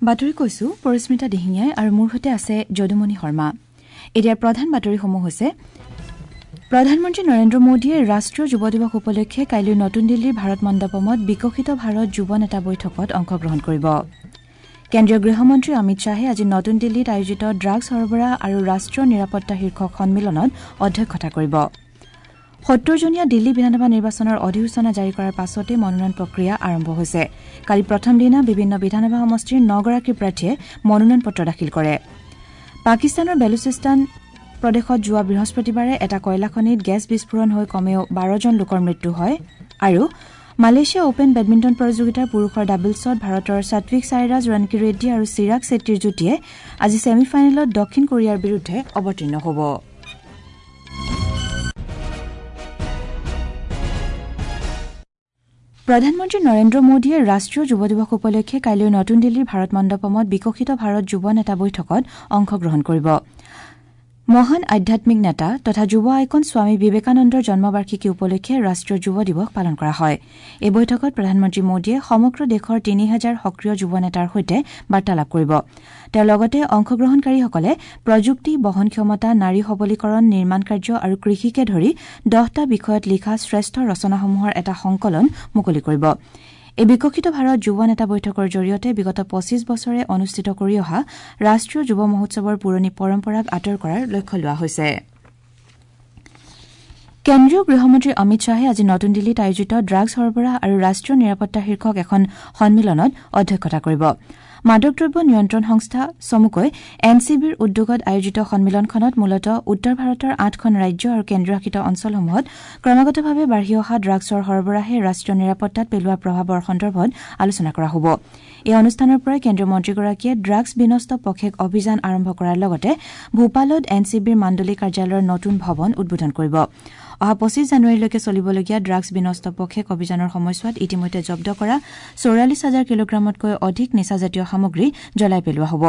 বাতৰি কৈছো পৰিস্মিতা দিহিঙীয়াই আৰু মোৰ সৈতে আছে যদুমণি শৰ্মা। এতিয়া প্ৰধান বাতৰিসমূহ হৈছে: প্ৰধানমন্ত্ৰী নৰেন্দ্ৰ মোদীয়ে ৰাষ্ট্ৰীয় যুৱ দিৱস উপলক্ষে কাইলৈ নতুন দিল্লীৰ ভাৰত মণ্ডপমত বিকশিত ভাৰত যুৱ নেতা বৈঠকত অংশগ্ৰহণ কৰিব। কেন্দ্ৰীয় গৃহমন্ত্ৰী অমিত শ্বাহে আজি নতুন দিল্লীত আয়োজিত ড্ৰাগছ সৰবৰাহ আৰু ৰাষ্ট্ৰীয় নিৰাপত্তা শীৰ্ষক সন্মিলনত অধ্যক্ষতা কৰিব। ৭০জনীয়া দিল্লী বিধানসভা নিৰ্বাচনৰ অধিসূচনা জাৰি কৰাৰ পাছতে মনোনয়ন প্ৰক্ৰিয়া আৰম্ভ হৈছে। কালি প্ৰথম দিনা বিভিন্ন বিধানসভা সমষ্টিৰ ৯গৰাকী প্ৰাৰ্থীয়ে মনোনয়ন পত্ৰ দাখিল কৰে। পাকিস্তানৰ বেলুচিস্তান প্ৰদেশত যোৱা বৃহস্পতিবাৰে এটা কয়লাখনিত গেছ বিস্ফোৰণ হৈ কমেও ১২জন লোকৰ মৃত্যু হয়। আৰু মালয়েছিয়া অপেন বেডমিণ্টন প্ৰতিযোগিতাৰ পুৰুষৰ ডাবলছত ভাৰতৰ সাত্বিক সাইৰাজ ৰণকি ৰেড্ডী আৰু চিৰাগ চেট্টীৰ যুটীয়ে আজি ছেমি ফাইনেলত দক্ষিণ কোৰিয়াৰ বিৰুদ্ধে অৱতীৰ্ণ হ'ব। প্ৰধানমন্ত্ৰী নৰেন্দ্ৰ মোদীয়ে ৰাষ্ট্ৰীয় যুৱ দিৱস উপলক্ষে কাইলৈ নতুন দিল্লীৰ ভাৰত মণ্ডপমত বিকশিত ভাৰত যুৱ নেতা বৈঠকত অংশগ্ৰহণ কৰিব। মহান আধ্যাত্মিক নেতা তথা যুৱ আইকন স্বামী বিবেকানন্দৰ জন্মবাৰ্ষিকী উপলক্ষে ৰাষ্ট্ৰীয় যুৱ দিৱস পালন কৰা হয়। এই বৈঠকত প্ৰধানমন্ত্ৰী মোদীয়ে সমগ্ৰ দেশৰ ৩০০০ সক্ৰিয় যুৱ নেতাৰ সৈতে বাৰ্তালাপ কৰিব। তেওঁ লগতে অংশগ্ৰহণকাৰীসকলে প্ৰযুক্তি, বহন ক্ষমতা, নাৰী সবলীকৰণ, নিৰ্মাণ কাৰ্য আৰু কৃষিকে ধৰি ১০টা বিষয়ত লিখা শ্ৰেষ্ঠ ৰচনাসমূহৰ এটা সংকলন মুকলি কৰিব। এই বিকশিত ভাৰত যুৱ নেতা বৈঠকৰ জৰিয়তে বিগত ২৫ বছৰে অনুষ্ঠিত কৰি অহা ৰাষ্ট্ৰীয় যুৱ মহোৎসৱৰ পুৰণি পৰম্পৰাক আঁতৰ কৰাৰ লক্ষ্য লোৱা হৈছে। কেন্দ্ৰীয় গৃহমন্ত্ৰী অমিত শ্বাহে আজি নতুন দিল্লীত আয়োজিত ড্ৰাগছ সৰবৰাহ আৰু ৰাষ্ট্ৰীয় নিৰাপত্তা শীৰ্ষক এখন সন্মিলনত অধ্যক্ষতা কৰিব। মাদক দ্ৰব্য নিয়ন্ত্ৰণ সংস্থা চমুকৈ এন চি বিৰ উদ্যোগত আয়োজিত সন্মিলনখনত মূলতঃ উত্তৰ ভাৰতৰ ৮খন ৰাজ্য আৰু কেন্দ্ৰীয়শাসিত অঞ্চলসমূহত ক্ৰমাগতভাৱে বাঢ়ি অহা ড্ৰাগছৰ সৰবৰাহে ৰাষ্ট্ৰীয় নিৰাপত্তাত পেলোৱা প্ৰভাৱৰ সন্দৰ্ভত আলোচনা কৰা হ'ব। এই অনুষ্ঠানৰ পৰাই কেন্দ্ৰীয় মন্ত্ৰীগৰাকীয়ে ড্ৰাগছ বিনষ্ট পষেক অভিযান আৰম্ভ কৰাৰ লগতে ভূপালত এন চি বিৰ মাণ্ডলিক কাৰ্যালয়ৰ নতুন ভৱন উদ্বোধন কৰিব। অহা ২৫ জানুৱাৰীলৈকে চলিবলগীয়া ড্ৰাগছ বিনষ্ট পষেক অভিযানৰ সময়ছোৱাত ইতিমধ্যে জব্দ কৰা ৪৪ হাজাৰ কিলোগ্ৰামতকৈ অধিক নিচাজাতীয় সামগ্ৰী জ্বলাই পেলোৱা হ'ব।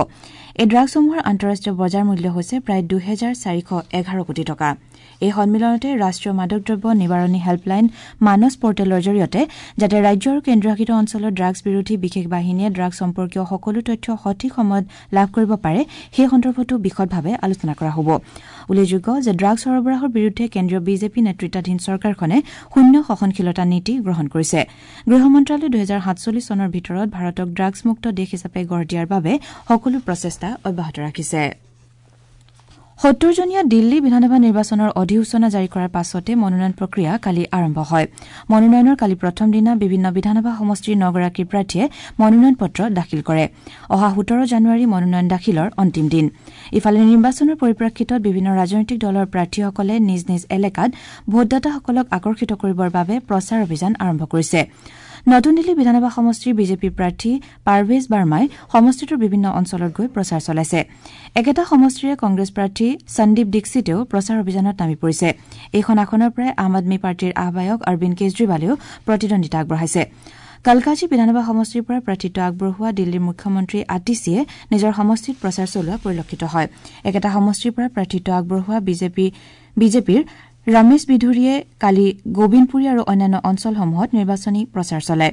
এই ড্ৰাগছসমূহৰ আন্তঃৰাষ্ট্ৰীয় বজাৰ মূল্য হৈছে প্ৰায় ২৪১১ কোটি টকা। এই সন্মিলনতে ৰাষ্ট্ৰীয় মাদক দ্ৰব্য নিবাৰণী হেল্পলাইন মানস পৰ্টেলৰ জৰিয়তে যাতে ৰাজ্য আৰু কেন্দ্ৰীয়শাসিত অঞ্চলৰ ড্ৰাগছ বিৰোধী বিশেষ বাহিনীয়ে ড্ৰাগছ সম্পৰ্কীয় সকলো তথ্য সঠিক সময়ত লাভ কৰিব পাৰে সেই সন্দৰ্ভতো বিশদভাৱে আলোচনা কৰা হ'ব। উল্লেখযোগ্য যে ড্ৰাগছ সৰবৰাহৰ বিৰুদ্ধে কেন্দ্ৰীয় বিজেপি নেতৃত্বাধীন চৰকাৰখনে শূন্য সহনশীলতা নীতি গ্ৰহণ কৰিছে। গৃহ মন্ত্ৰালয়ে ২০৪৭ চনৰ ভিতৰত ভাৰতক ড্ৰাগছমুক্ত দেশ হিচাপে গঢ় দিয়াৰ বাবে সকলো প্ৰচেষ্টা অব্যাহত ৰাখিছে। ৭০জনীয়া দিল্লী বিধানসভা নিৰ্বাচনৰ অধিসূচনা জাৰি কৰাৰ পাছতে মনোনয়ন প্ৰক্ৰিয়া কালি আৰম্ভ হয়। মনোনয়নৰ কালি প্ৰথম দিনা বিভিন্ন বিধানসভা সমষ্টিৰ ৯গৰাকী প্ৰাৰ্থীয়ে মনোনয়ন পত্ৰ দাখিল কৰে। অহা ১৭ জানুৱাৰী মনোনয়ন দাখিলৰ অন্তিম দিন। ইফালে নিৰ্বাচনৰ পৰিপ্ৰেক্ষিতত বিভিন্ন ৰাজনৈতিক দলৰ প্ৰাৰ্থীসকলে নিজ নিজ এলেকাত ভোটদাতাসকলক আকৰ্ষিত কৰিবৰ বাবে প্ৰচাৰ অভিযান আৰম্ভ কৰিছে। নতুন দিল্লী বিধানসভা সমষ্টিৰ বিজেপিৰ প্ৰাৰ্থী পাৰভেজ বাৰ্মাই সমষ্টিটোৰ বিভিন্ন অঞ্চলত গৈ প্ৰচাৰ চলাইছে। একেটা সমষ্টিৰে কংগ্ৰেছ প্ৰাৰ্থী সন্দীপ দীক্ষিতেও প্ৰচাৰ অভিযানত নামি পৰিছে। এইখন আসনৰ পৰাই আম আদমী পাৰ্টীৰ আহ্বায়ক অৰবিন্দ কেজৰিৱালেও প্ৰতিদ্বন্দ্বিতা আগবঢ়াইছে। কালকাজী বিধানসভা সমষ্টিৰ পৰা প্ৰাৰ্থিত্ব আগবঢ়োৱা দিল্লীৰ মুখ্যমন্ত্ৰী আতিশীয়ে নিজৰ সমষ্টিত প্ৰচাৰ চলোৱা পৰিলক্ষিত হয়। একেটা সমষ্টিৰ পৰা প্ৰাৰ্থিত্ব আগবঢ়োৱা বিজেপিৰ ৰমেশ বিধুৰীয়ে কালি গোবিন্দপুৰী আৰু অন্যান্য অঞ্চলসমূহত নিৰ্বাচনী প্ৰচাৰ চলায়।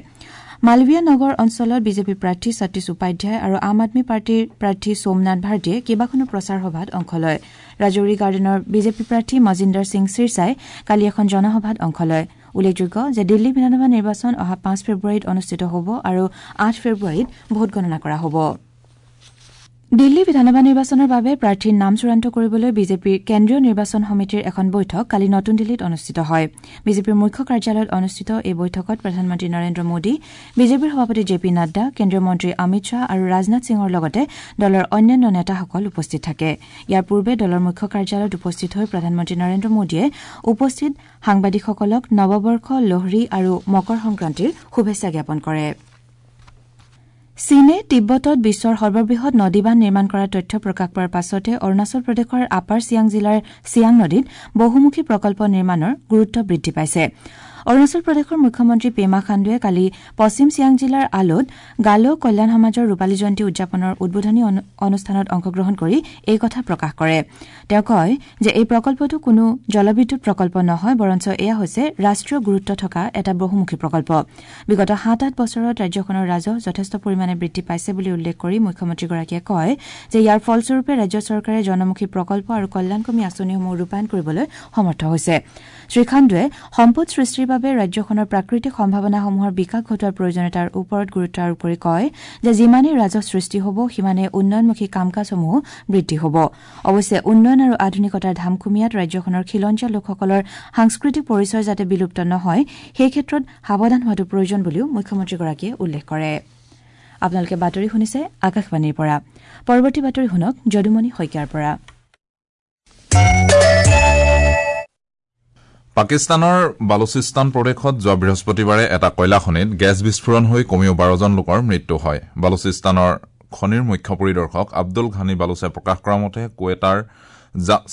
মালৱীয়া নগৰ অঞ্চলত বিজেপিৰ প্ৰাৰ্থী সতীশ উপাধ্যায় আৰু আম আদমী পাৰ্টীৰ প্ৰাৰ্থী সোমনাথ ভাৰতীয়ে কেইবাখনো প্ৰচাৰ সভাত অংশ লয়। ৰাজৌৰী গাৰ্ডেনৰ বিজেপি প্ৰাৰ্থী মজিন্দৰ সিং চিৰছাই কালি এখন জনসভাত অংশ লয়। উল্লেখযোগ্য যে দিল্লী বিধানসভা নিৰ্বাচন অহা ৫ ফেব্ৰুৱাৰীত অনুষ্ঠিত হ'ব আৰু ৮ ফেব্ৰুৱাৰীত ভোটগণনা কৰা হ'ব। দিল্লী বিধানসভা নিৰ্বাচনৰ বাবে প্ৰাৰ্থীৰ নাম চূড়ান্ত কৰিবলৈ বিজেপিৰ কেন্দ্ৰীয় নিৰ্বাচন সমিতিৰ এখন বৈঠক কালি নতুন দিল্লীত অনুষ্ঠিত হয়। বিজেপিৰ মুখ্য কাৰ্যালয়ত অনুষ্ঠিত এই বৈঠকত প্ৰধানমন্ত্ৰী নৰেন্দ্ৰ মোদী, বিজেপিৰ সভাপতি জে পি নাড্ডা, কেন্দ্ৰীয় মন্ত্ৰী অমিত শ্বাহ আৰু ৰাজনাথ সিঙৰ লগতে দলৰ অন্যান্য নেতাসকল উপস্থিত থাকে। ইয়াৰ পূৰ্বে দলৰ মুখ্য কাৰ্যালয়ত উপস্থিত হৈ প্ৰধানমন্ত্ৰী নৰেন্দ্ৰ মোদীয়ে উপস্থিত সাংবাদিকসকলক নৱবৰ্ষ, লোহৰী আৰু মকৰ সংক্ৰান্তিৰ শুভেচ্ছা জ্ঞাপন কৰে। চীনে তিব্বতত বিশ্বৰ সৰ্ববৃহৎ নদীবান্ধ নিৰ্মাণ কৰাৰ তথ্য প্ৰকাশ পোৱাৰ পাছতে অৰুণাচল প্ৰদেশৰ আপাৰ চিয়াং জিলাৰ চিয়াং নদীত বহুমুখী প্ৰকল্প নিৰ্মাণৰ গুৰুত্ব বৃদ্ধি পাইছে। অৰুণাচল প্ৰদেশৰ মুখ্যমন্ত্ৰী পেমা খাণ্ডুৱে কালি পশ্চিম চিয়াং জিলাৰ আলোত গালো কল্যাণ সমাজৰ ৰূপালী জয়ন্তী উদযাপনৰ উদ্বোধনী অনুষ্ঠানত অংশগ্ৰহণ কৰি এই কথা প্ৰকাশ কৰে। তেওঁ কয় যে এই প্ৰকল্পটো কোনো জলবিদ্যুৎ প্ৰকল্প নহয়, বৰঞ্চ এয়া হৈছে ৰাষ্ট্ৰীয় গুৰুত্ব থকা এটা বহুমুখী প্ৰকল্প। বিগত ৭-৮ বছৰত ৰাজ্যখনৰ ৰাজহ যথেষ্ট পৰিমাণে বৃদ্ধি পাইছে বুলি উল্লেখ কৰি মুখ্যমন্ত্ৰীগৰাকীয়ে কয় যে ইয়াৰ ফলস্বৰূপে ৰাজ্য চৰকাৰে জনমুখী প্ৰকল্প আৰু কল্যাণকামী আঁচনিসমূহ ৰূপায়ণ কৰিবলৈ সমৰ্থ হৈছে। শ্ৰীখাণ্ডুৱে সম্পদ সৃষ্টিৰ বাবে ৰাজ্যখনৰ প্ৰাকৃতিক সম্ভাৱনাসমূহৰ বিকাশ ঘটোৱাৰ প্ৰয়োজনীয়তাৰ ওপৰত গুৰুত্ব আৰোপ কৰি কয় যে যিমানেই ৰাজহ সৃষ্টি হ'ব, সিমানেই উন্নয়নমুখী কাম কাজসমূহো বৃদ্ধি হ'ব। অৱশ্যে উন্নয়ন আৰু আধুনিকতাৰ ধামখুমীয়াত ৰাজ্যখনৰ খিলঞ্জীয়া লোকসকলৰ সাংস্কৃতিক পৰিচয় যাতে বিলুপ্ত নহয়, সেই ক্ষেত্ৰত সাৱধান হোৱাটো প্ৰয়োজন বুলিও মুখ্যমন্ত্ৰীগৰাকীয়ে উল্লেখ কৰে। আপোনালোকে বাতৰি শুনিছে আকাশবাণীৰ পৰা। পৰৱৰ্তী বাতৰি শুনক যদুমণি শইকীয়াৰ পৰা। পাকিস্তানৰ বালুচিস্তান প্ৰদেশত যোৱা বৃহস্পতিবাৰে এটা কয়লা খনিত গেছ বিস্ফোৰণ হৈ কমেও ১২জন লোকৰ মৃত্যু হয়। বালুচিস্তানৰ খনিৰ মুখ্য পৰিদৰ্শক আব্দুল ঘানি বালুচে প্ৰকাশ কৰা মতে কুৱেটাৰ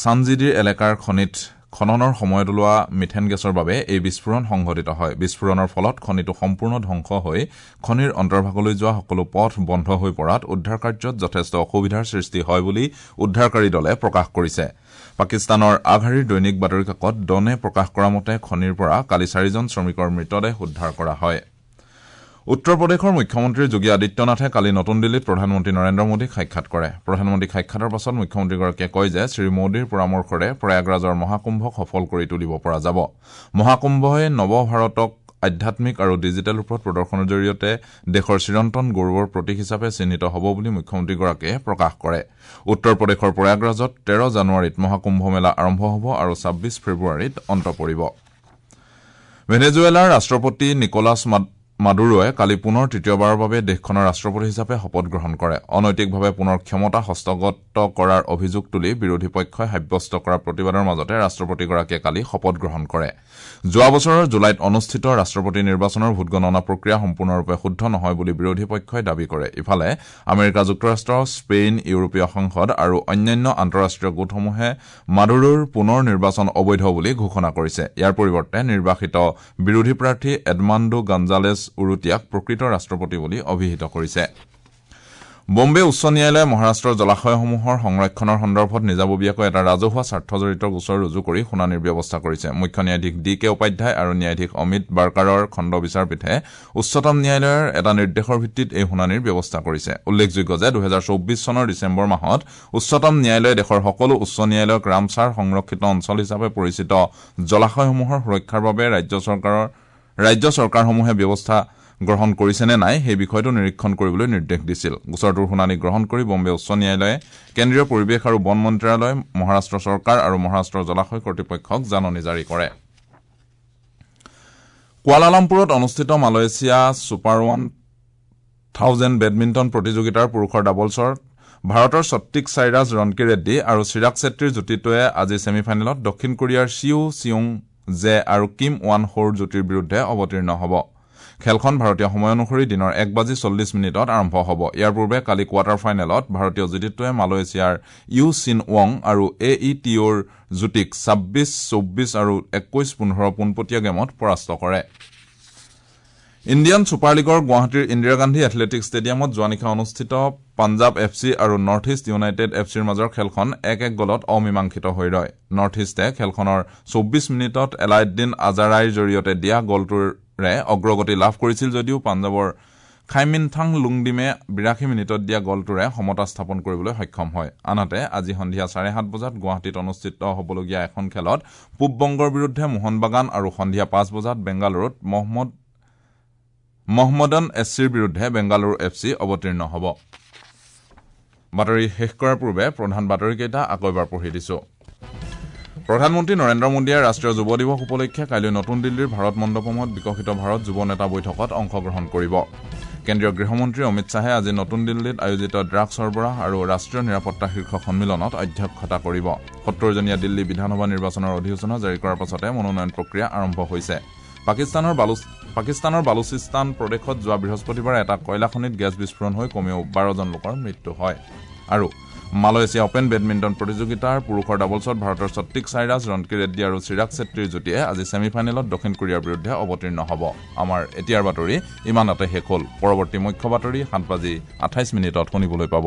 চানজিদিৰ এলেকাৰ খনিত খননৰ সময়ত ওলোৱা মিথেন গেছৰ বাবে এই বিস্ফোৰণ সংঘটিত হয়। বিস্ফোৰণৰ ফলত খনিটো সম্পূৰ্ণ ধ্বংস হৈ খনিৰ অন্তৰ্ভাগলৈ যোৱা সকলো পথ বন্ধ হৈ পৰাত উদ্ধাৰ কাৰ্যত যথেষ্ট অসুবিধাৰ সৃষ্টি হয় বুলি উদ্ধাৰকাৰী দলে প্ৰকাশ কৰিছে। পাকিস্তানৰ আগশাৰীৰ দৈনিক বাতৰি কাকত ডনে প্ৰকাশ কৰা মতে খনিৰ পৰা কালি ৪জন শ্ৰমিকৰ মৃতদেহ উদ্ধাৰ কৰা হয়। উত্তৰ প্ৰদেশৰ মুখ্যমন্ত্ৰী যোগী আদিত্যনাথে কালি নতুন দিল্লীত প্ৰধানমন্ত্ৰী নৰেন্দ্ৰ মোদীক সাক্ষাৎ কৰে। প্ৰধানমন্ত্ৰীক সাক্ষাতৰ পাছত মুখ্যমন্ত্ৰীগৰাকীয়ে কয় যে শ্ৰীমোদীৰ পৰামৰ্শৰে প্ৰয়াগৰাজৰ মহাকুম্ভক সফল কৰি তুলিব পৰা যাব। মহাকুম্ভই নৱ ভাৰতক আধ্যাত্মিক আৰু ডিজিটেল ৰূপত প্ৰদৰ্শনৰ জৰিয়তে দেশৰ চিৰন্তন গৌৰৱৰ প্ৰতীক হিচাপে চিহ্নিত হ'ব বুলি মুখ্যমন্ত্ৰীগৰাকীয়ে প্ৰকাশ কৰে। উত্তৰ প্ৰদেশৰ প্ৰয়াগৰাজত ১৩ জানুৱাৰীত মহাকুম্ভ মেলা আৰম্ভ হ'ব আৰু ২৬ ফেব্ৰুৱাৰীত অন্ত পৰিব। ভেনেজুৱেলাৰ ৰাষ্ট্ৰপতি নিকোলাছ মাদুৰোৱে কালি পুনৰ তৃতীয়বাৰৰ বাবে দেশখনৰ ৰাষ্ট্ৰপতি হিচাপে শপত গ্ৰহণ কৰে। অনৈতিকভাৱে পুনৰ ক্ষমতা হস্তগত কৰাৰ অভিযোগ তুলি বিৰোধী পক্ষই সাব্যস্ত কৰা প্ৰতিবাদৰ মাজতে ৰাষ্ট্ৰপতিগৰাকীয়ে কালি শপত গ্ৰহণ কৰে। যোৱা বছৰৰ জুলাইত অনুষ্ঠিত ৰাষ্ট্ৰপতি নিৰ্বাচনৰ ভোটগণনা প্ৰক্ৰিয়া সম্পূৰ্ণৰূপে শুদ্ধ নহয় বুলি বিৰোধী পক্ষই দাবী কৰে। ইফালে আমেৰিকা যুক্তৰাষ্ট্ৰ, স্পেইন, ইউৰোপীয় সংসদ আৰু অন্যান্য আন্তঃৰাষ্ট্ৰীয় গোটসমূহে মাদুৰোৰ পুনৰ নিৰ্বাচন অবৈধ বুলি ঘোষণা কৰিছে। ইয়াৰ পৰিৱৰ্তে নিৰ্বাসিত বিৰোধী প্ৰাৰ্থী এডমাণ্ডো গঞ্জালেছ উৰুটিয়াক প্ৰকৃত ৰাষ্ট্ৰপতি বুলি অভিহিত কৰিছে। বম্বে উচ্চ ন্যায়ালয়ে মহাৰাষ্ট্ৰৰ জলাশয়সমূহৰ সংৰক্ষণৰ সন্দৰ্ভত নিজাববীয়াকৈ এটা ৰাজহুৱা স্বাৰ্থজড়িত গোচৰ ৰুজু কৰি শুনানিৰ ব্যৱস্থা কৰিছে। মুখ্য ন্যায়াধীশ ডি কে উপাধ্যায় আৰু ন্যায়াধীশ অমিত বাৰ্কাৰৰ খণ্ড বিচাৰপীঠে উচ্চতম ন্যায়ালয়ৰ এটা নিৰ্দেশৰ ভিত্তিত এই শুনানিৰ ব্যৱস্থা কৰিছে। উল্লেখযোগ্য যে ২০২৪ চনৰ ডিচেম্বৰ মাহত উচ্চতম ন্যায়ালয়ে দেশৰ সকলো উচ্চ ন্যায়ালয়ক ৰামছাৰ সংৰক্ষিত অঞ্চল হিচাপে পৰিচিত জলাশয়সমূহৰ সুৰক্ষাৰ বাবে ৰাজ্য চৰকাৰসমূহে ব্যৱস্থা গ্ৰহণ কৰিছে নে নাই সেই বিষয়টো নিৰীক্ষণ কৰিবলৈ নিৰ্দেশ দিছিল। গোচৰটোৰ শুনানি গ্ৰহণ কৰি বম্বে উচ্চ ন্যায়ালয়ে কেন্দ্ৰীয় পৰিৱেশ আৰু বন মন্ত্ৰালয়, মহাৰাষ্ট্ৰ চৰকাৰ আৰু মহাৰাষ্ট্ৰৰ জলাশয় কৰ্তৃপক্ষক জাননী জাৰি কৰে। কুৱালালামপুৰত অনুষ্ঠিত মালয়েছিয়া ছুপাৰ 1000 বেডমিণ্টন প্ৰতিযোগিতাৰ পুৰুষৰ ডাবলছৰ ভাৰতৰ সত্বিক চাইৰাজ ৰণকি ৰেড্ডী আৰু চিৰাগ চেত্ৰীৰ যুটিটোৱে আজি ছেমি ফাইনেলত দক্ষিণ কোৰিয়াৰ চিউ চিয়ুং জে আৰু কিম ৱান হোৰ যুটিৰ বিৰুদ্ধে অৱতীৰ্ণ হ'ব। খেলখন ভাৰতীয় সময় অনুসৰি দিনৰ ১:৪০ আৰম্ভ হ'ব। ইয়াৰ পূৰ্বে কালি কোৱাৰ্টাৰ ফাইনেলত ভাৰতীয় যুটিটোৱে মালয়েছিয়াৰ you চিন ৱং আৰু এ ই টিঅ'ৰ যুটিক ২৬-২৪ আৰু ২১-১৫ পোনপটীয়া গেমত পৰাস্ত কৰে। ইণ্ডিয়ান ছুপাৰ লীগৰ গুৱাহাটীৰ ইন্দিৰা গান্ধী এথলেটিক ষ্টেডিয়ামত যোৱা নিশা অনুষ্ঠিত পাঞ্জাৱ এফ চি আৰু নৰ্থ ইষ্ট ইউনাইটেড এফ চিৰ মাজৰ খেলখন ১-১ গ'লত অমীমাংসিত হৈ ৰয়। নৰ্থ ইষ্টে খেলখনৰ ২৪ মিনিটত এলাউদ্দিন আজাৰাইৰ জৰিয়তে দিয়া গ'লটোৰে অগ্ৰগতি লাভ কৰিছিল যদিও পাঞ্জাৱৰ খাইমিনথাং লুংডিমে ৮২ মিনিটত দিয়া গ'লটোৰে সমতা স্থাপন কৰিবলৈ সক্ষম হয়। আনহাতে আজি সন্ধিয়া ৭:৩০ বজাত গুৱাহাটীত অনুষ্ঠিত হ'বলগীয়া এখন খেলত পূব বংগৰ বিৰুদ্ধে মোহনবাগান আৰু সন্ধিয়া ৫ বজাত বেংগালুৰুত মহম্মদন এছ চিৰ বিৰুদ্ধে বেংগালুৰু এফ চি অৱতীৰ্ণ হ'ব। বাতৰি শেষ কৰাৰ পূৰ্বে প্ৰধান বাতৰিকেইটা আকৌ এবাৰ পঢ়ি দিছো। প্ৰধানমন্ত্ৰী নৰেন্দ্ৰ মোদীয়ে ৰাষ্ট্ৰীয় যুৱ দিৱস উপলক্ষে কাইলৈ নতুন দিল্লীৰ ভাৰত মণ্ডপমত বিকশিত ভাৰত যুৱ নেতা বৈঠকত অংশগ্ৰহণ কৰিব। কেন্দ্ৰীয় গৃহমন্ত্ৰী অমিত শ্বাহে আজি নতুন দিল্লীত আয়োজিত ড্ৰাগছ সৰবৰাহ আৰু ৰাষ্ট্ৰীয় নিৰাপত্তা শীৰ্ষক সন্মিলনত অধ্যক্ষতা কৰিব। ৭০জনীয়া দিল্লী বিধানসভা নিৰ্বাচনৰ অধিসূচনা জাৰি কৰাৰ পাছতে মনোনয়ন প্ৰক্ৰিয়া আৰম্ভ হৈছে। পাকিস্তানৰ বালুচিস্তান প্ৰদেশত যোৱা বৃহস্পতিবাৰে এটা কয়লা খনিত গেছ বিস্ফোৰণ হৈ কমেও ১২জন লোকৰ মৃত্যু হয়। আৰু মালয়েছিয়া অপেন বেডমিণ্টন প্ৰতিযোগিতাৰ পুৰুষৰ ডাবলছত ভাৰতৰ সত্বিক সাইৰাজ, ৰণকি ৰেড্ডী আৰু চিৰাগ চেত্ৰীৰ যুটীয়ে আজি ছেমি ফাইনেলত দক্ষিণ কোৰিয়াৰ বিৰুদ্ধে অৱতীৰ্ণ হ'ব। আমাৰ এতিয়াৰ বাতৰি ইমানতে শেষ হ'ল। পৰৱৰ্তী মুখ্য বাতৰি 7:28 শুনিবলৈ পাব।